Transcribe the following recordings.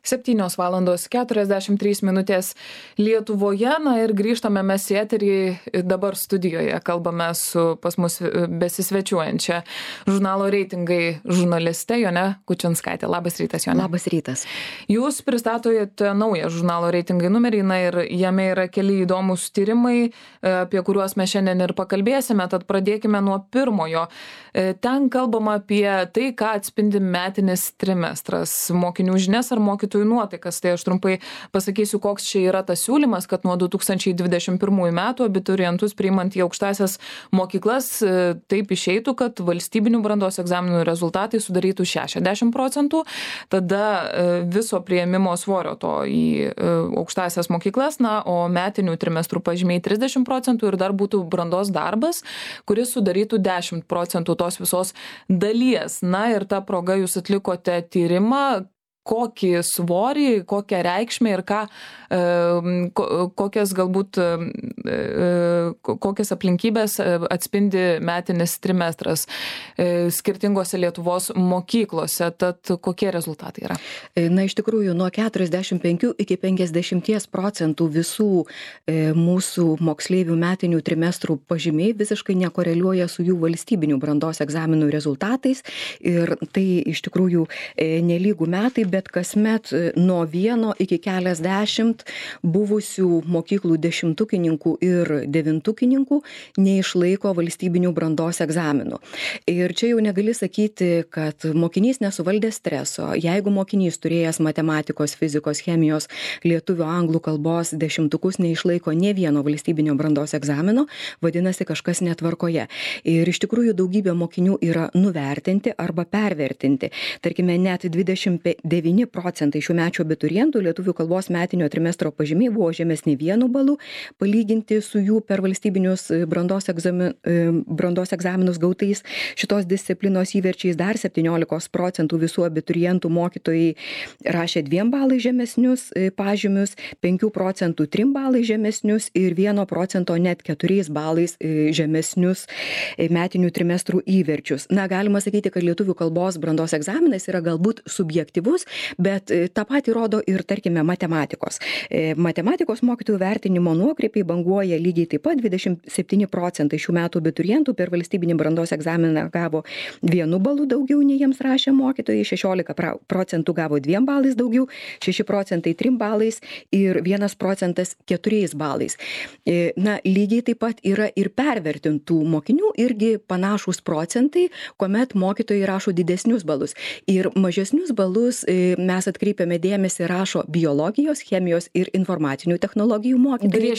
7:43 Lietuvoje. Na ir grįžtame mes į eterį, dabar studijoje kalbame su pas mus besisvečiuojančia žurnalo Reitingai žurnaliste Jone Kučinskaite. Labas rytas, Jone. Labas rytas. Jūs pristatojate naują žurnalo Reitingai numerį, na ir jame yra keli įdomus tyrimai, apie kuriuos mes šiandien ir pakalbėsime, tad pradėkime nuo pirmojo. Ten kalbama apie tai, ką atspindi metinis trimestras, mokinių žinias ar mokytojų nuotaikas. Tai aš trumpai pasakysiu, koks čia yra tas siūlymas, kad nuo 2021 metų abiturientus priimant į aukštąsias mokyklas taip išeitų, kad valstybinių brandos egzaminų rezultatai sudarytų 60%, tada viso priėmimo svorio to į aukštąsias mokyklas, na, o metinių trimestrų pažymiai 30% ir dar būtų brandos darbas, kuris sudarytų 10% tos visos dalies. Na ir ta proga jūs atlikote tyrimą, kokį svorį, kokią reikšmę ir kokias galbūt kokias aplinkybės atspindi metinis trimestras skirtingose Lietuvos mokyklose. Tad kokie rezultatai yra? Na, iš tikrųjų, nuo 45 iki 50% visų mūsų moksleivių metinių trimestrų pažymiai visiškai nekoreliuoja su jų valstybinių brandos egzaminų rezultatais. Ir tai iš tikrųjų nelygų metai, bet kasmet nuo 1 iki keliasdešimt buvusių mokyklų dešimtukininkų ir devintukininkų neišlaiko valstybinių brandos egzaminų. Ir čia jau negali sakyti, kad mokinys nesuvaldė streso. Jeigu mokinys turėjęs matematikos, fizikos, chemijos, lietuvių, anglų kalbos dešimtukus neišlaiko nė vieno valstybinio brandos egzamino, vadinasi kažkas netvarkoje. Ir iš tikrųjų daugybė mokinių yra nuvertinti arba pervertinti. Tarkime, net 29% šiųmečių abiturientų lietuvių kalbos metinio trimestro pažymiai buvo žemesni 1 balu, palyginti su jų per valstybinius brandos egzaminus gautais šitos disciplinos įverčiais. Dar 17% visų abiturientų mokytojai rašė 2 balai žemesnius pažymius, 5% 3 balai žemesnius ir 1% net 4 balais žemesnius metinių trimestrų įverčius. Na, galima sakyti, kad lietuvių kalbos brandos egzaminas yra galbūt subjektyvus, bet tą patį rodo ir, tarkime, matematikos. Matematikos mokytojų vertinimo nuokrypiai banguoja lygiai taip pat. 27% šių metų abiturientų per valstybinį brandos egzaminą gavo 1 balu daugiau, nei jiems rašė mokytojai, 16% gavo 2 balais daugiau, 6% 3 balais ir 1% 4 balais. Na, lygiai taip pat yra ir pervertintų mokinių, irgi panašūs procentai, kuomet mokytojai rašo didesnius balus. Ir mažesnius balus mes atkreipiame dėmesį, rašo biologijos, chemijos ir informacinių technologijų mokytojai.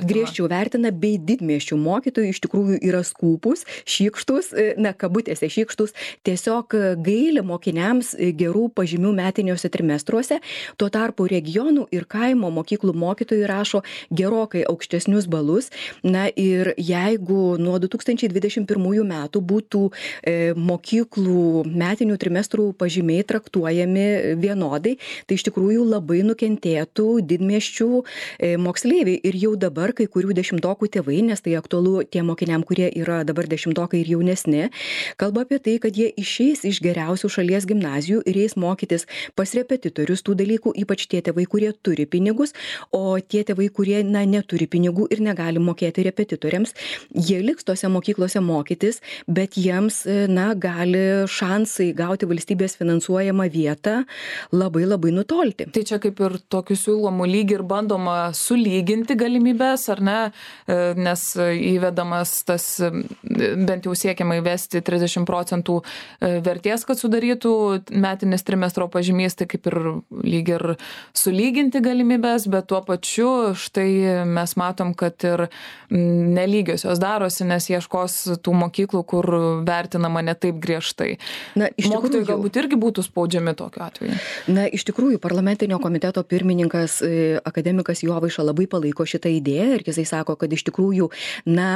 Griežčiau vertina, bei didmiesčių mokytojai iš tikrųjų yra skūpus, šykštus, na, kabutėse šykštus, tiesiog gaili mokiniams gerų pažymių metiniuose trimestruose. Tuo tarpu regionų ir kaimo mokyklų mokytojai rašo gerokai aukštesnius balus. Na ir jeigu nuo 2021 metų būtų mokyklų metinių trimestrų pažymiai traktuojami vienodai, tai iš tikrųjų labai nukentėtų didmiesčių moksleiviai. Ir jau dabar kai kurių dešimtokų tėvai, nes tai aktualu tiem mokiniam, kurie yra dabar dešimtokai ir jaunesni, kalba apie tai, kad jie išeis iš geriausių šalies gimnazijų ir eis mokytis pas repetitorius tų dalykų, ypač tie tėvai, kurie turi pinigus, o tie tėvai, kurie, na, neturi pinigų ir negali mokėti repetitoriams, jie liks tose mokyklose mokytis, bet jiems, na, gali šansai gauti valstybės finansuojamą vietą labai nutolti. Tai čia kaip ir tokių siūlomų lyg ir bandoma sulyginti galimybės, ar ne, nes įvedamas tas, bent jau siekiama įvesti 30% vertės, kad sudarytų metinis trimestro pažymys, tai kaip ir lyg ir sulyginti galimybės, bet tuo pačiu štai mes matom, kad ir nelygiosios darosi, nes ieškos tų mokyklų, kur vertinama ne taip griežtai. Na, mokytojai galbūt irgi būtų spaudžiami tokiu atveju. Na, iš tikrųjų, parlamentinio komiteto pirmininkas akademikas Jovaiša labai palaiko šitą idėją ir jisai sako, kad iš tikrųjų, na,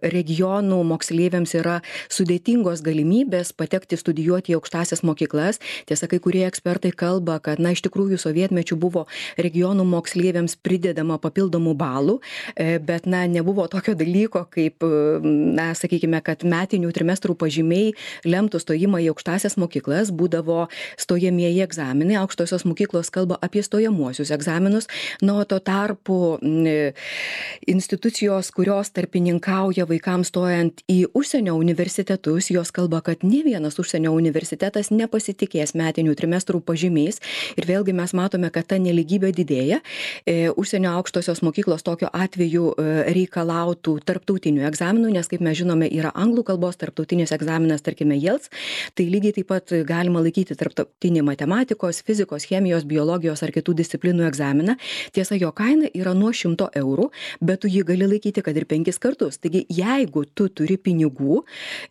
regionų moksleiviams yra sudėtingos galimybės patekti studijuoti į aukštąsias mokyklas. Tiesa, kai kurie ekspertai kalba, kad, na, iš tikrųjų sovietmečiu buvo regionų moksleiviams pridedama papildomų balų, bet, na, nebuvo tokio dalyko, kaip, na, sakykime, kad metinių trimestrų pažymiai lemtų stojimą į aukštąsias mokyklas, būdavo stojami stojamieji egzaminai, aukštosios mokyklos kalba apie stojamuosius egzaminus, nuo to tarpu institucijos, kurios tarpininkauja vaikams stojant į užsienio universitetus, jos kalba, kad ne vienas užsienio universitetas nepasitikės metinių trimestrų pažymiais ir vėlgi mes matome, kad ta nelygybė didėja. Užsienio aukštosios mokyklos tokiu atveju reikalautų tarptautinių egzaminų, nes kaip mes žinome, yra anglų kalbos tarptautinis egzaminas, tarkime, IELTS, tai lygiai taip pat galima laikyti tarptautinį matematikos, fizikos, chemijos, biologijos ar kitų disciplinų egzaminą. Tiesa, jo kaina yra nuo 100 eurų, bet tu jį gali laikyti kad ir 5 kartus. Taigi, jeigu tu turi pinigų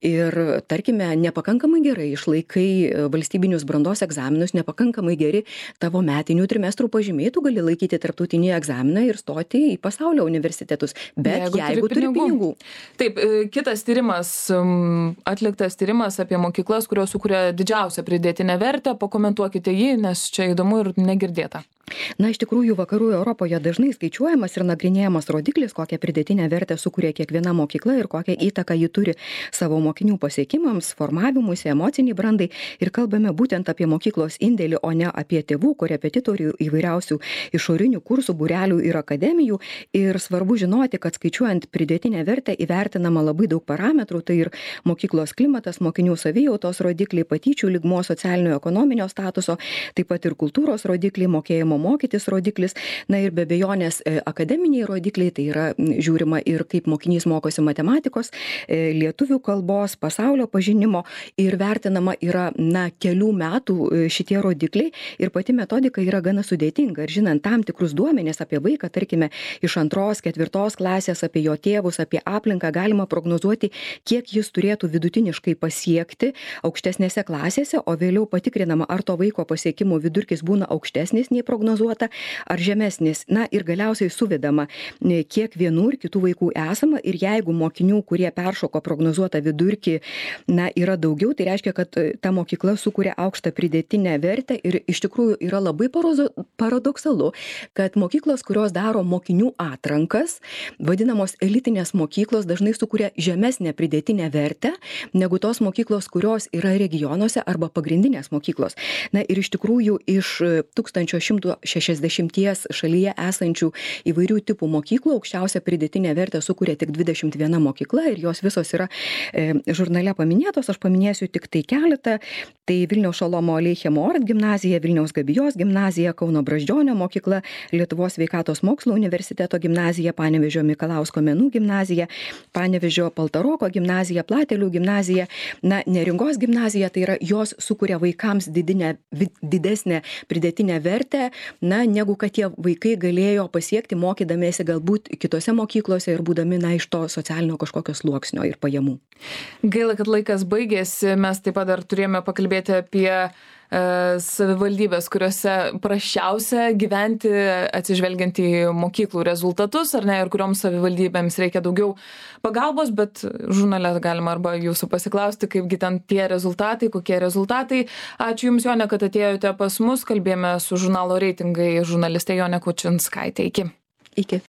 ir, tarkime, nepakankamai gerai išlaikai valstybinius brandos egzaminus, nepakankamai geri tavo metinių trimestrų pažymiai, tu gali laikyti tarptautinį egzaminą ir stoti į pasaulio universitetus. Bet jeigu turi pinigų. Taip, kitas tyrimas, atliktas tyrimas apie mokyklas, kurios sukuria didžiausią pridėtinę vertę. Pakomentuokite jį, nes čia įdomu ir negirdėta. Na, iš tikrųjų, vakarų Europoje dažnai skaičiuojamas ir nagrinėjamas rodiklis, kokią pridėtinę vertę sukuria kiekviena mokykla ir kokią įtaką ji turi savo mokinių pasiekimams, formavimuisi, emociniai brandai. Ir kalbame būtent apie mokyklos indėlį, o ne apie tėvų, korepetitorių, įvairiausių išorinių kursų, būrelių ir akademijų. Ir svarbu žinoti, kad skaičiuojant pridėtinę vertę įvertinama labai daug parametrų, tai ir mokyklos klimatas, mokinių savijautos rodikliai, patyčių lygmuo, socialinio ekonominio statuso, taip pat ir kultūros rodikliai, mokėjimo mokytis rodiklis, na ir be abejonės akademiniai rodikliai, tai yra žiūrima ir kaip mokinys mokosi matematikos, lietuvių kalbos, pasaulio pažinimo ir vertinama yra, kelių metų šitie rodikliai ir pati metodika yra gana sudėtinga. Ir žinant tam tikrus duomenis apie vaiką, tarkime, iš 2, 4 klasės, apie jo tėvus, apie aplinką, galima prognozuoti, kiek jis turėtų vidutiniškai pasiekti aukštesnėse klasėse, o vėliau patikrinama, ar to vaiko pasiekimų vidurkis būna aukštesnis nei prognozuota, ar žemesnis. Na ir galiausiai suvedama, kiek vienų ir kitų vaikų esama ir jeigu mokinių, kurie peršoko prognozuotą vidurkį, yra daugiau, tai reiškia, kad ta mokykla sukuria aukštą pridėtinę vertę ir iš tikrųjų yra labai paradoksalu, kad mokyklos, kurios daro mokinių atrankas, vadinamos elitinės mokyklos, dažnai sukuria žemesnę pridėtinę vertę negu tos mokyklos, kurios yra regionuose arba pagrindinės mokyklos. Na ir iš tikrųjų iš 1160 šalyje esančių įvairių tipų mokyklų aukščiausią pridėtinę vertę sukuria tik 21 mokykla ir jos visos yra žurnale paminėtos, aš paminėsiu tik tai keletą. Tai Vilniaus Šolomo Aleichemo Ort gimnazija, Vilniaus Gabijos gimnazija, Kauno Brazdžionio mokykla, Lietuvos sveikatos mokslo universiteto gimnazija, Panevėžio Mikalausko menų gimnazija, Panevėžio Paltaroko gimnazija, Platelių gimnazija, Neringos gimnazija, tai yra jos sukuria vaikams didesnę pridėtinę vertę, negu kad tie vaikai galėjo pasiekti mokydamiesi galbūt kitose mokyklose ir būdami iš to socialinio kažkokio sluoksnio ir pajamų. Gaila, kad laikas baigėsi, mes taip pat dar turėjome pakalbėti apie savivaldybės, kuriuose prasčiausia gyventi atsižvelgiant į mokyklų rezultatus, ar ne, ir kurioms savivaldybėms reikia daugiau pagalbos, bet žurnale galima arba jūsų pasiklausti, kaipgi ten tie rezultatai, kokie rezultatai. Ačiū Jums, Jonė, kad atėjote pas mus, kalbėjome su žurnalo Reitingai žurnaliste Jonė Kučinskaitė. Iki. Iki.